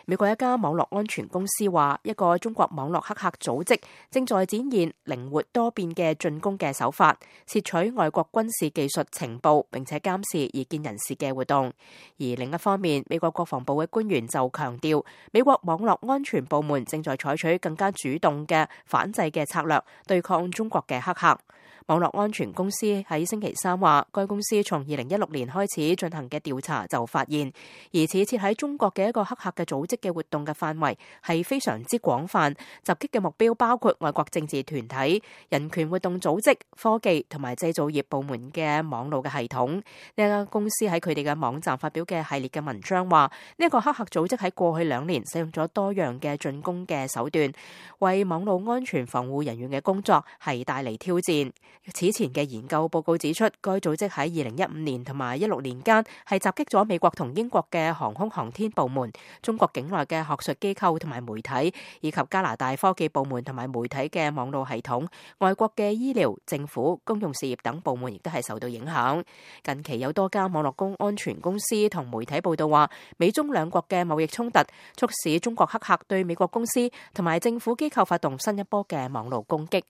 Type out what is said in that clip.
美國一家網絡安全公司話，一個中國網絡黑客組織正在展現靈活多變嘅進攻嘅手法，竊取外國軍事技術情報，並且監視異見人士嘅活動。而另一方面，美國國防部嘅官員就強調，美國網絡安全部門正在採取更加主動嘅反制嘅策略，對抗中國嘅黑客。網絡安全公司喺星期三話，該公司從2016年開始進行嘅調查就發現，疑似設喺中國嘅一個黑客嘅組織嘅活動嘅範圍係非常之廣泛，襲擊嘅目標包括外國政治團體、人權活動組織、科技同埋製造業部門嘅網絡嘅系統。呢間公司喺佢哋嘅網站發表嘅系列嘅文章話，呢一個黑客組織喺過去2年使用咗多樣嘅進攻嘅手段，為網絡安全防護人員嘅工作係帶嚟挑戰。此前嘅研究報告指出，該組織喺2015年同埋16年間係襲擊咗美國同英國嘅航空航天部門、中國境內嘅學術機構同埋媒體，以及加拿大科技部門同埋媒體嘅網絡系統。外國嘅醫療、政府、公用事業等部門亦都係受到影響。近期有多間網絡安全公司同媒體報道話，美中兩國嘅貿易衝突促使中國黑客對美國公司同埋政府機構發動新一波嘅網絡攻擊。